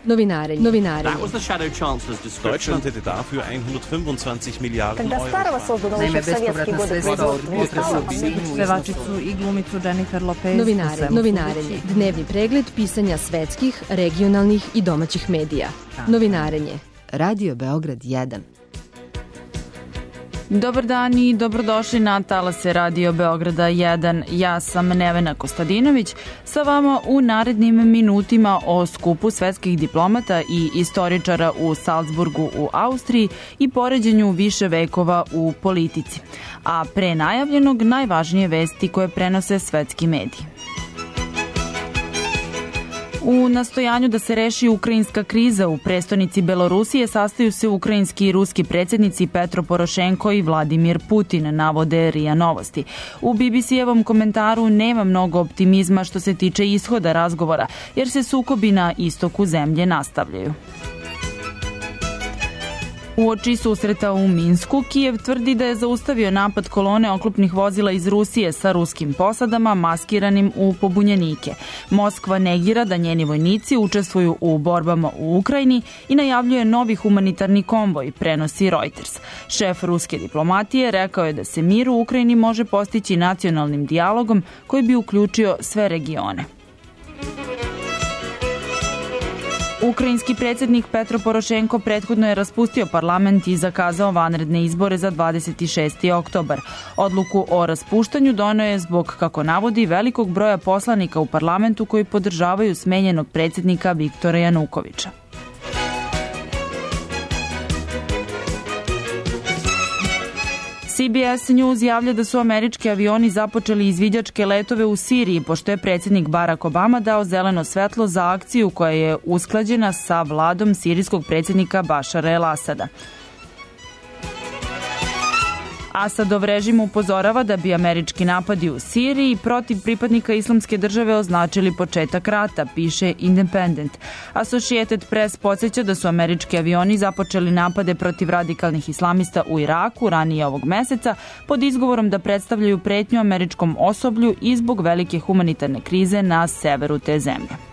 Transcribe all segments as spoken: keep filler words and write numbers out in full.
Novinarenje. Novinarenje. That was the Shadow Chancellor's description. Deutschland hätte dafür hundertfünfundzwanzig Miliarden Когда старого Euro. создан еще в советские годы производства. Pevačicu i glumicu Jennifer Lopez. Novinarenje. Novinarenje. Dnevni pregled pisanja svetskih, regionalnih i domaćih medija. Novinarenje. Radio Beograd jedan. Dobar dan i dobrodošli na talase Radio Beograda jedan. Ja sam Nevena Kostadinović sa vama u narednim minutima o skupu svetskih diplomata i istoričara u Salzburgu u Austriji i poređenju više vekova u politici. A pre najavljenog najvažnije vesti koje prenose svetski mediji. U nastojanju da se reši ukrajinska kriza u prestonici Belorusije sastaju se ukrajinski i ruski predsjednici Petro Porošenko i Vladimir Putin, navode R I A Novosti. U B B C-evom komentaru nema mnogo optimizma što se tiče ishoda razgovora, jer se sukobi na istoku zemlje nastavljaju. Uoči susreta u Minsku, Kijev tvrdi da je zaustavio napad kolone oklopnih vozila iz Rusije sa ruskim posadama maskiranim u pobunjenike. Moskva negira da njeni vojnici učestvuju u borbama u Ukrajini i najavljuje novi humanitarni konvoj, prenosi Reuters. Šef ruske diplomatije rekao je da se mir u Ukrajini može postići nacionalnim dijalogom koji bi uključio sve regione. Ukrajinski predsjednik Petro Porošenko prethodno je raspustio parlament i zakazao vanredne izbore za dvadeset šesti oktobar. Odluku o raspuštanju doneo je zbog, kako navodi, velikog broja poslanika u parlamentu koji podržavaju smenjenog predsjednika Viktora Janukovića. C B S News javlja da su američki avioni započeli izviđačke letove u Siriji, pošto je predsjednik Barack Obama dao zeleno svetlo za akciju koja je usklađena sa vladom sirijskog predsjednika Bašara el-Asada. Asadov režim upozorava da bi američki napadi u Siriji protiv pripadnika islamske države označili početak rata, piše Independent. Associated Press podsjeća da su američki avioni započeli napade protiv radikalnih islamista u Iraku ranije ovog meseca pod izgovorom da predstavljaju pretnju američkom osoblju i zbog velike humanitarne krize na severu te zemlje.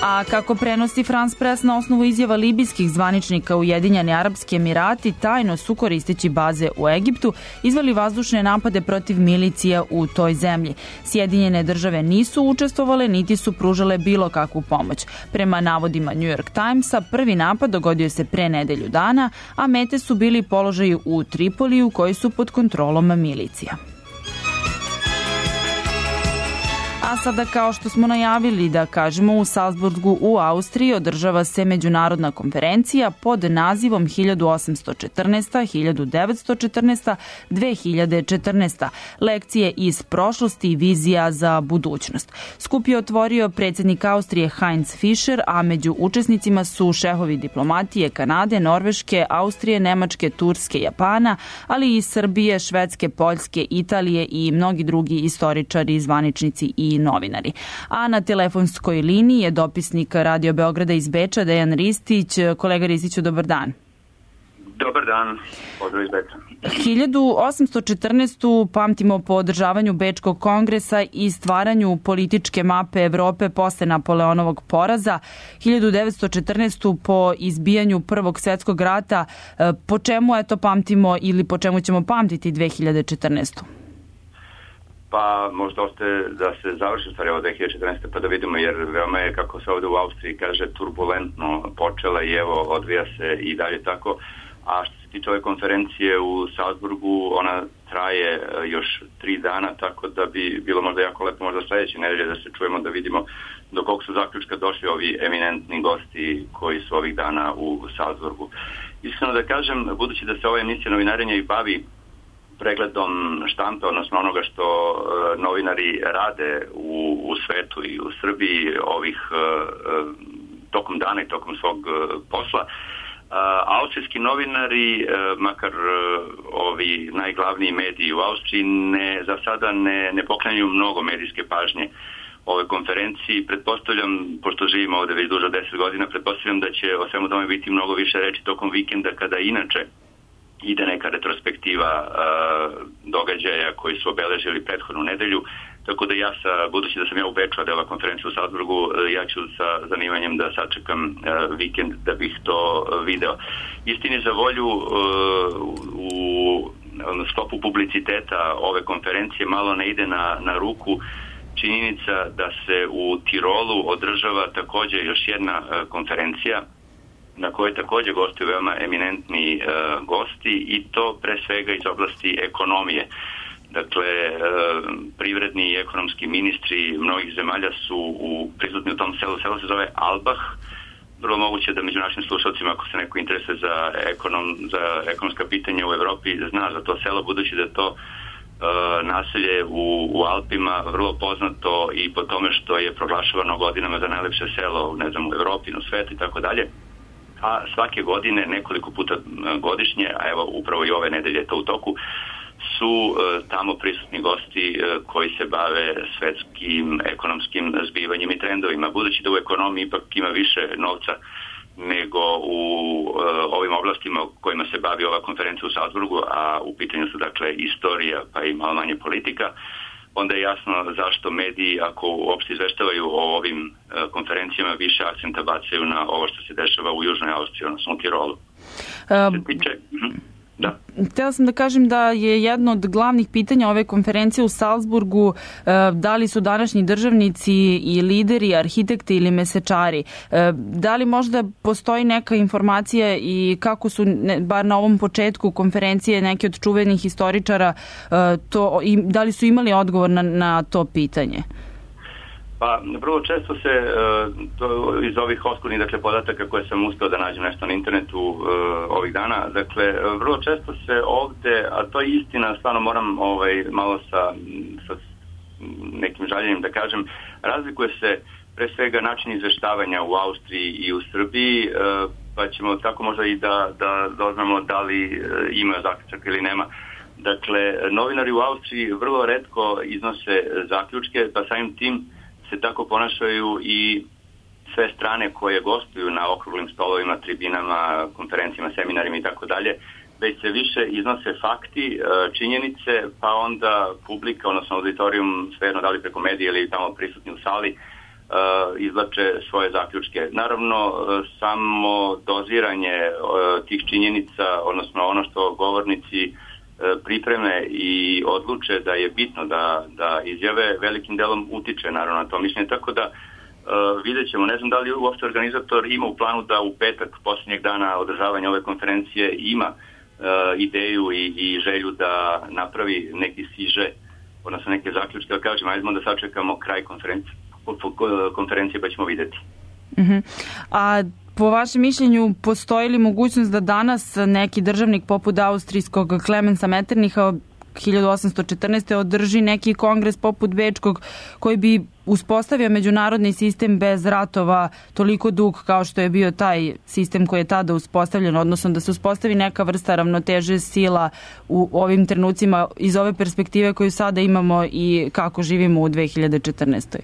A kako prenosi France Press na osnovu izjava libijskih zvaničnika, Ujedinjeni Arapski Emirati tajno su, koristeći baze u Egiptu, izveli vazdušne napade protiv milicija u toj zemlji. Sjedinjene države nisu učestvovale niti su pružale bilo kakvu pomoć. Prema navodima New York Timesa, prvi napad dogodio se pre nedelju dana, a mete su bili položaji u Tripoliju koji su pod kontrolom milicija. A sada, kao što smo najavili da kažemo, u Salzburgu u Austriji održava se međunarodna konferencija pod nazivom hiljadu osamsto četrnaesta, hiljadu devetsto četrnaesta, dve hiljade četrnaesta. Lekcije iz prošlosti i vizija za budućnost. Skup je otvorio predsjednik Austrije Heinz Fischer, a među učesnicima su šefovi diplomatije Kanade, Norveške, Austrije, Nemačke, Turske, Japana, ali i Srbije, Švedske, Poljske, Italije i mnogi drugi istoričari, zvaničnici i novinari. A na telefonskoj liniji je dopisnik Radio Beograda iz Beča, Dejan Ristić. Kolega Ristiću, dobar dan. Dobar dan, pozdrav iz Beča. hiljadu osamsto četrnaestu pamtimo po održavanju Bečkog kongresa i stvaranju političke mape Evrope posle Napoleonovog poraza. hiljadu devetsto četrnaestu po izbijanju Prvog svjetskog rata. Po čemu eto pamtimo ili po čemu ćemo pamtiti dve hiljade četrnaestu? Pa možda ostaje da se završi stvari ovo dve hiljade četrnaeste pa da vidimo, jer veoma je, kako se ovdje u Austriji kaže, turbulentno počela i evo odvija se i dalje tako. A što se tiče ove konferencije u Salzburgu, ona traje još tri dana, tako da bi bilo možda jako lepo možda sljedeće nedelje da se čujemo, da vidimo do kog su zaključka došli ovi eminentni gosti koji su ovih dana u Salzburgu. Iskreno da kažem, budući da se ova emisija Novinarenja i bavi pregledom štampe, odnosno onoga što uh, novinari rade u, u svetu i u Srbiji ovih uh, tokom dana i tokom svog uh, posla. Uh, austrijski novinari, uh, makar uh, ovi najglavniji mediji u Austriji, ne, za sada ne, ne poklanjaju mnogo medijske pažnje ove konferenciji. Pretpostavljam, pošto živimo ovdje već duže od deset godina, pretpostavljam da će o svemu tome biti mnogo više reči tokom vikenda, kada inače ide neka retrospektiva uh, događaja koji su obeležili prethodnu nedelju. tako da ja, sa, budući da sam ja u Beču, a da je ova konferencija u Salzburgu, ja ću sa zanimanjem da sačekam vikend da bih to video. Istini za volju, u sklopu publiciteta ove konferencije malo ne ide na, na ruku činjenica da se u Tirolu održava također još jedna konferencija na kojoj također gostuju veoma eminentni e, gosti i to pre svega iz oblasti ekonomije. Dakle, e, privredni i ekonomski ministri mnogih zemalja su u, prisutni u tom selu. Selo se zove Albach. Vrlo moguće da među našim slušalcima, ako se neko interesuje za, ekonom, za ekonomska pitanja u Evropi, zna za to selo, budući da je to e, naselje u, u Alpima vrlo poznato i po tome što je proglašavano godinama za najlepše selo, ne znam, u Evropi, u svetu i tako dalje. A svake godine, nekoliko puta godišnje, a evo upravo i ove nedelje je to u toku, su e, tamo prisutni gosti e, koji se bave svetskim ekonomskim zbivanjem i trendovima. Budući da u ekonomiji ipak ima više novca nego u e, ovim oblastima kojima se bavi ova konferencija u Salzburgu, a u pitanju su dakle istorija pa i malo manje politika, onda je jasno zašto mediji, ako uopšte izveštavaju o ovim e, konferencijama, više akcenta bacaju na ovo što se dešava u Južnoj Austriji, odnosno u Tirolu. Um, Piče, da. Htela sam da kažem da je jedno od glavnih pitanja ove konferencije u Salzburgu da li su današnji državnici i lideri, arhitekti ili mesečari. Da li možda postoji neka informacija i kako su, bar na ovom početku konferencije, neki od čuvenih historičara, to, da li su imali odgovor na, na to pitanje? Pa, vrlo često se to, iz ovih oskurnih dakle, podataka koje sam uspio da nađem nešto na internetu ovih dana, dakle, vrlo često se ovde, a to je istina, stvarno moram ovaj, malo sa, sa nekim žaljenjem da kažem, razlikuje se pre svega način izveštavanja u Austriji i u Srbiji, pa ćemo tako možda i da, da doznamo da li ima zaključak ili nema. Dakle, novinari u Austriji vrlo retko iznose zaključke, pa samim tim se tako ponašaju i sve strane koje gostuju na okruglim stolovima, tribinama, konferencijama, seminarima i tako dalje, već se više iznose fakti, činjenice, pa onda publika, odnosno auditorijum, svejedno da li preko medija ili tamo prisutni u sali, izvlače svoje zaključke. Naravno, samo doziranje tih činjenica, odnosno ono što govornici pripreme i odluče da je bitno da, da izjave, velikim delom utiče naravno na to mišljenje, tako da uh, vidjet ćemo. Ne znam da li uopšte organizator ima u planu da u petak posljednjeg dana održavanja ove konferencije ima uh, ideju i, i želju da napravi neki siže, odnosno neke zaključke, ali kažem, ajdemo da sačekamo kraj konferencije, konferencije pa ćemo vidjeti. Uh-huh. A po vašem mišljenju, postoji li mogućnost da danas neki državnik poput austrijskog Klemensa Metternicha hiljadu osamsto četrnaeste. održi neki kongres poput bečkog koji bi uspostavio međunarodni sistem bez ratova toliko dug kao što je bio taj sistem koji je tada uspostavljen, odnosno da se uspostavi neka vrsta ravnoteže sila u ovim trenucima iz ove perspektive koju sada imamo i kako živimo u dve hiljade četrnaestoj.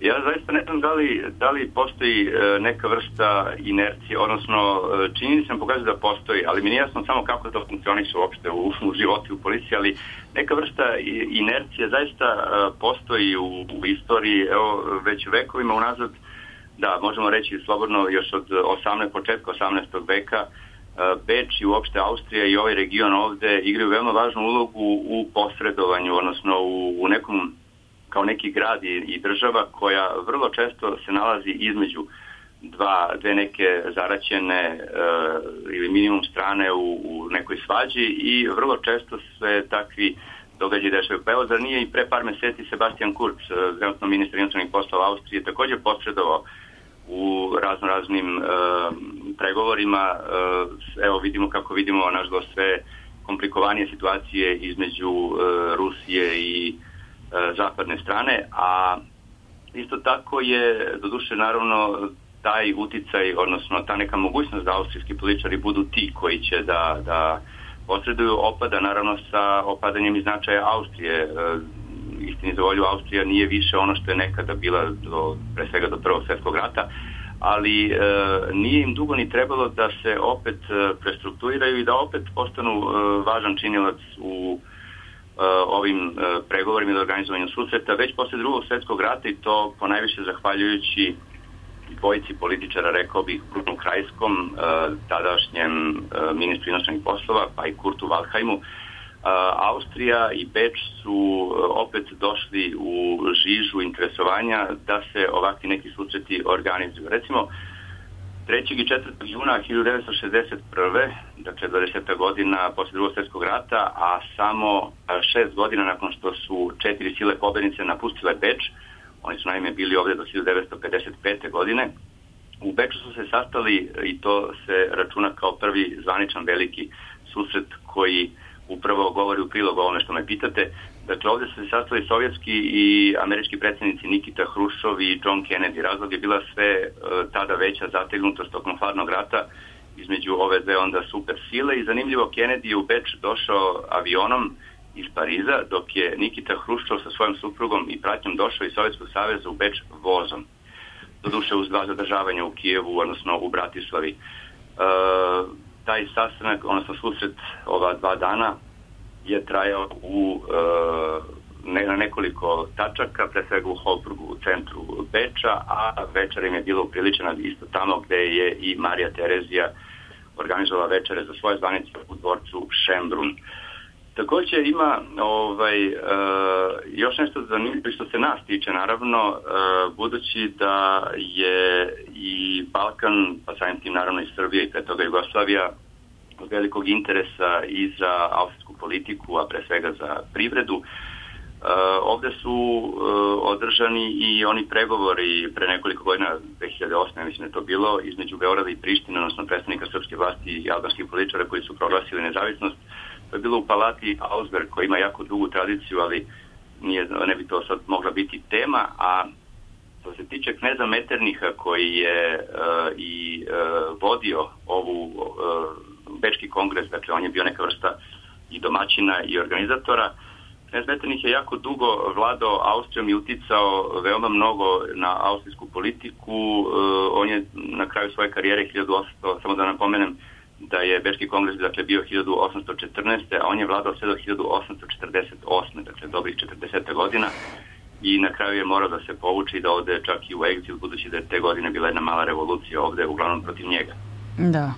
Ja zaista ne znam da li, da li postoji e, neka vrsta inercije, odnosno činjenica sam pokazuje da postoji, ali mi nije jasno samo kako to funkcioniše uopšte u, u životu, u policiji, ali neka vrsta inercije zaista e, postoji u, u istoriji, evo, već vekovima unazad, da, možemo reći slobodno još od osamnaestog početka osamnaestog veka, e, Beč i uopšte Austrija i ovaj region ovde igraju veoma važnu ulogu u posredovanju, odnosno u, u nekom kao neki grad i, i država koja vrlo često se nalazi između dva, dve neke zaraćene e, ili minimum strane u, u nekoj svađi i vrlo često se takvi događaji dešavaju. Pa evo, zar nije i pre par meseci Sebastian Kurz, trenutno ministar inostranih poslova Austrije, također posredovao u razno raznim e, pregovorima. E, evo vidimo kako vidimo nažalost sve komplikovanije situacije između e, Rusije i zapadne strane, a isto tako je doduše naravno taj uticaj, odnosno ta neka mogućnost da austrijski političari budu ti koji će da, da posreduju opada naravno sa opadanjem i značaja Austrije. Istini za volju, Austrija nije više ono što je nekada bila do, pre svega do Prvog svjetskog rata, ali e, nije im dugo ni trebalo da se opet prestrukturiraju i da opet postanu e, važan činilac u ovim pregovorima i organizovanju susreta već posle drugog svjetskog rata i to ponajviše zahvaljujući dvojici političara, rekao bih, Brunu Krajskom, tadašnjem ministru inostranih poslova, pa i Kurtu Waldheimu. Austrija i Beč su opet došli u žižu interesovanja da se ovakvi neki susreti organizuju. Recimo, trećeg i četvrtog juna hiljadu devetsto šezdeset prve. dakle dvadeset godina posle drugog svjetskog rata, a samo šest godina nakon što su četiri sile pobednice napustile Beč, oni su naime bili ovdje do hiljadu devetsto pedeset pete. godine, u Beču su se sastali i to se računa kao prvi zvaničan veliki susret koji upravo govori u prilog ovome što me pitate. Dakle, ovdje su se sastali sovjetski i američki predsjednici Nikita Hruščov i John Kennedy. Razlog je bila sve tada veća zategnutost tokom hladnog rata između ove dve onda super sile i zanimljivo, Kennedy je u Beč došao avionom iz Pariza, dok je Nikita Hruščov sa svojom suprugom i pratnjom došao iz Sovjetskog saveza u Beč vozom. Doduše uz dva zadržavanja u Kijevu, odnosno u Bratislavi. E, taj sastanak, odnosno susret ova dva dana je trajao u, e, ne, na nekoliko tačaka, pre svega u Holburgu, u centru Beča, a večer im je bilo upriličena isto tamo gde je i Marija Terezija organizovala večere za svoje zvanice u dvorcu Schönbrunn. Također ima ovaj, e, još nešto zanimljivo što se nas tiče, naravno, e, budući da je i Balkan, pa samim tim naravno i Srbija i pre toga Jugoslavija, od velikog interesa i za austrijsku politiku, a pre svega za privredu. E, ovdje su e, održani i oni pregovori pre nekoliko godina, dve hiljade osme. mislim da je to bilo, između Beograda i Prištine, odnosno predstavnika srpske vlasti i albanskih političara koji su proglasili nezavisnost. To je bilo u palati Augsburg, koja ima jako dugu tradiciju, ali nije, ne bi to sad mogla biti tema. A što se tiče kneza Metternicha, koji je uh, i uh, vodio ovu uh, Bečki kongres, dakle on je bio neka vrsta i domaćina i organizatora, knez Metternich je jako dugo vladao Austrijom i uticao veoma mnogo na austrijsku politiku. Uh, on je na kraju svoje karijere hiljadu osamsto, samo da napomenem, da je Bečki kongres dakle, bio hiljadu osamsto četrnaeste. a on je vladao sve do hiljadu osamsto četrdeset osme. dakle dobrih četrdeset godina i na kraju je morao da se povuče i da ode čak i u egzil, budući da je te godine bila jedna mala revolucija ovdje, uglavnom protiv njega. Da.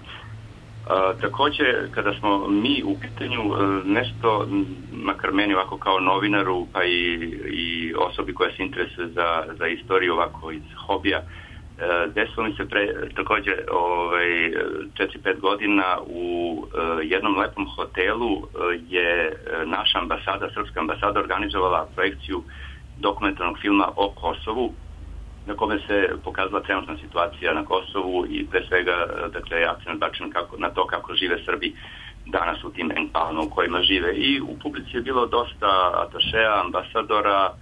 A, također, kada smo mi u pitanju nešto, makar meni ovako kao novinaru, pa i, i osobi koja se interesuje za, za istoriju ovako iz hobija, desilo mi se pre, također ovaj, četiri pet godina u uh, jednom lepom hotelu uh, je naša ambasada, srpska ambasada, organizovala projekciju dokumentarnog filma o Kosovu, na kome se pokazala trenutna situacija na Kosovu i pre svega, dakle, akcent bačen kako, na to kako žive Srbi danas u tim enklavama u kojima žive. I u publici je bilo dosta atašeja, ambasadora,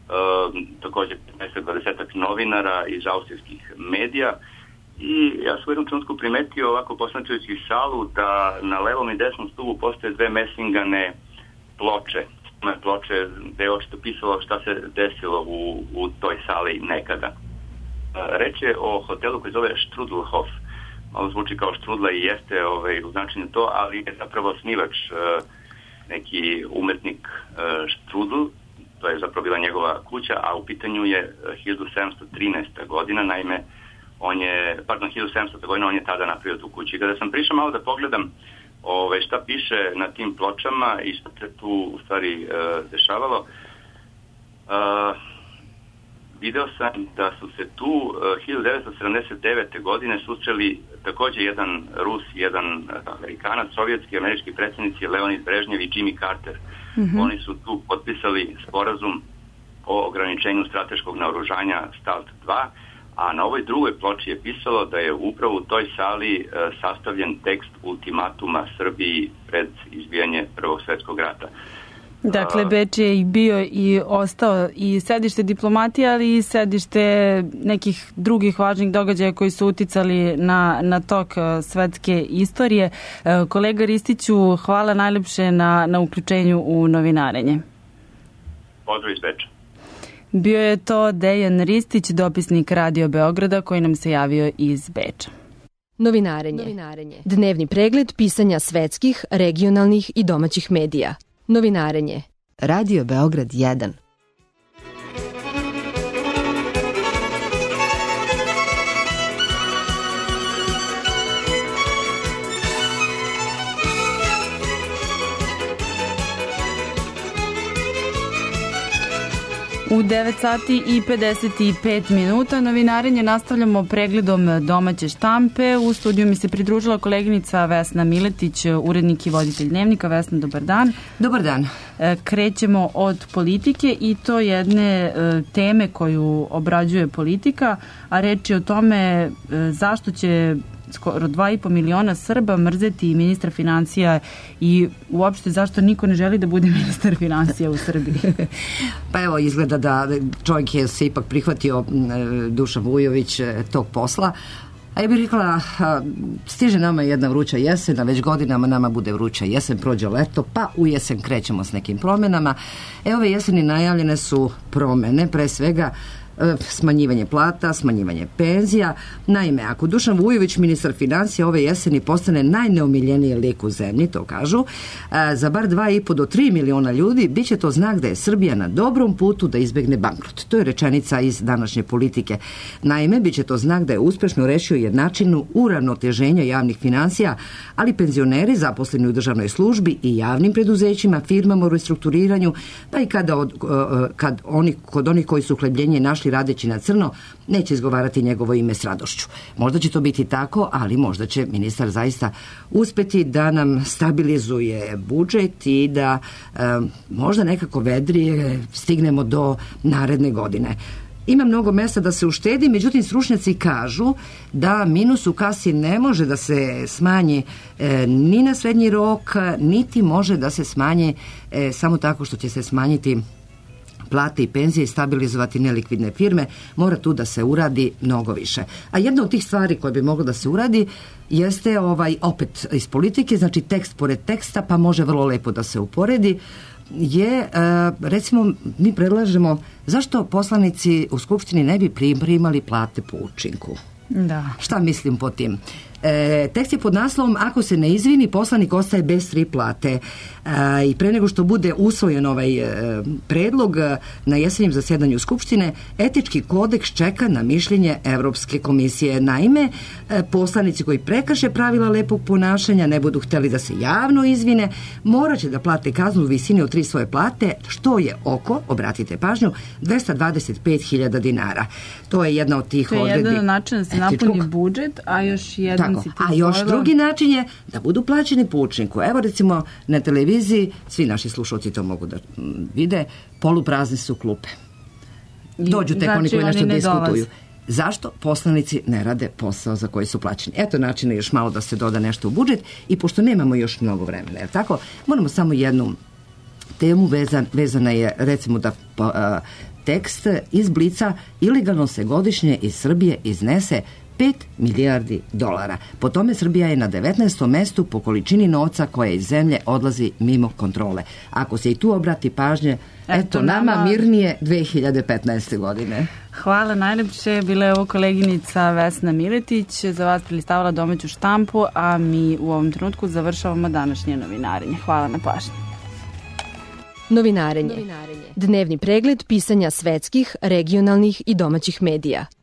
Uh, također petnaest dvadeset novinara iz austrijskih medija i ja sam u jednom trenutku primetio ovako posmatrajući salu da na levom i desnom stubu postoje dve mesingane ploče. Ploče gde je očito pisalo šta se desilo u, u toj sali nekada. Uh, reč je o hotelu koji zove Strudelhof. Malo zvuči kao štrudla i jeste ovaj, u značenju to, ali je zapravo osnivač uh, neki umetnik uh, Strudel. To je zapravo bila njegova kuća, a u pitanju je hiljadu sedamsto trinaesta. godina, naime, on je, pardon, hiljadu sedamstota. godina, on je tada napravio tu kuću. I kada sam prišao malo da pogledam ove, šta piše na tim pločama i što se tu u stvari e, dešavalo, e, video sam da su se tu e, hiljadu devetsto sedamdeset devete. godine susreli također jedan Rus, jedan Amerikanac, sovjetski i američki predsjednici Leonid Brežnjev i Jimmy Carter. Mm-hmm. Oni su tu potpisali sporazum o ograničenju strateškog naoružanja START dva, a na ovoj drugoj ploči je pisalo da je upravo u toj sali e, sastavljen tekst ultimatuma Srbiji pred izbijanje Prvog svjetskog rata. Dakle, Beč je i bio i ostao i sedište diplomatije, ali i sedište nekih drugih važnih događaja koji su uticali na, na tok svetske istorije. Kolega Ristiću, hvala najlepše na, na uključenju u novinarenje. Pozdrav iz Beča. Bio je to Dejan Ristić, dopisnik Radio Beograda, koji nam se javio iz Beča. Novinarenje. Novinarenje. Dnevni pregled pisanja svetskih, regionalnih i domaćih medija. Novinarenje. Radio Beograd jedan. U devet sati i pedeset pet minuta novinarenje nastavljamo pregledom domaće štampe. U studiju mi se pridružila koleginica Vesna Miletić, urednik i voditelj Dnevnika. Vesna, dobar dan. Dobar dan. Krećemo od politike i to jedne teme koju obrađuje Politika, a reč je o tome zašto će skoro dva i po miliona Srba mrzeti ministra financija i uopšte zašto niko ne želi da bude ministar financija u Srbiji. Pa evo, izgleda da čovjek je se ipak prihvatio, Dušan Vujović, tog posla. A ja bih rekla, stiže nama jedna vruća jesen, a već godinama nama bude vruća jesen, prođe leto, pa u jesen krećemo s nekim promjenama. E, ove jeseni najavljene su promjene, pre svega smanjivanje plata, smanjivanje penzija. Naime, ako Dušan Vujović, ministar financija, ove jeseni postane najneomiljeniji lik u zemlji, to kažu, za bar dva i po do tri miliona ljudi, bit će to znak da je Srbija na dobrom putu da izbegne bankrot. To je rečenica iz današnje Politike. Naime, bit će to znak da je uspešno rešio jednačinu uravnoteženja javnih financija, ali penzioneri zaposleni u državnoj službi i javnim preduzećima, firmama u restrukturiranju, pa i kada od, kad oni, kod onih koji su uhlebljenje našli radeći na crno, neće izgovarati njegovo ime s radošću. Možda će to biti tako, ali možda će ministar zaista uspeti da nam stabilizuje budžet i da e, možda nekako vedrije stignemo do naredne godine. Ima mnogo mesta da se uštedi, međutim stručnjaci kažu da minus u kasi ne može da se smanji e, ni na srednji rok, niti može da se smanji e, samo tako što će se smanjiti plate i penzije i stabilizovati nelikvidne firme. Mora tu da se uradi mnogo više. A jedna od tih stvari koje bi moglo da se uradi jeste ovaj opet iz Politike, znači tekst pored teksta, pa može vrlo lepo da se uporedi, je, recimo, mi predlažemo zašto poslanici u Skupštini ne bi primali plate po učinku. Da. Šta mislim po tim? E, tekst je pod naslovom ako se ne izvini, poslanik ostaje bez tri plate. E, i pre nego što bude usvojen ovaj e, predlog na jesenjem zasjedanju Skupštine, etički kodeks čeka na mišljenje Evropske komisije. Naime, e, poslanici koji prekrše pravila lepog ponašanja, ne budu hteli da se javno izvine, morat će da plate kaznu u visini od tri svoje plate, što je oko, obratite pažnju, dvesta dvadeset pet hiljada dinara. To je jedna od tih odredbi. To je jedan način da se napuni budžet, a još jedan Tako, a još zvojila... drugi način je da budu plaćeni po učinku. Evo recimo na televiziji, svi naši slušalci to mogu da vide, poluprazne su klupe. Dođu tek znači, oni koji nešto diskutuju. Dolaze. Zašto poslanici ne rade posao za koji su plaćeni? Eto načina još malo da se doda nešto u budžet i pošto nemamo još mnogo vremena, jer tako, moramo samo jednu temu vezan, vezana je recimo da a, tekst iz Blica ilegalno se godišnje iz Srbije iznese pet milijardi dolara. Po tome Srbija je na devetnaestom mestu po količini novca koja iz zemlje odlazi mimo kontrole. Ako se i tu obrati pažnje, eto, eto nama, nama mirnije dve hiljade petnaeste. godine. Hvala najlepše. Bila je ovo koleginica Vesna Miletić, za vas prilistavala domaću štampu, a mi u ovom trenutku završavamo današnje novinarenje. Hvala na pažnji. Novinarenje. Novinarenje. Dnevni pregled pisanja svetskih, regionalnih i domaćih medija.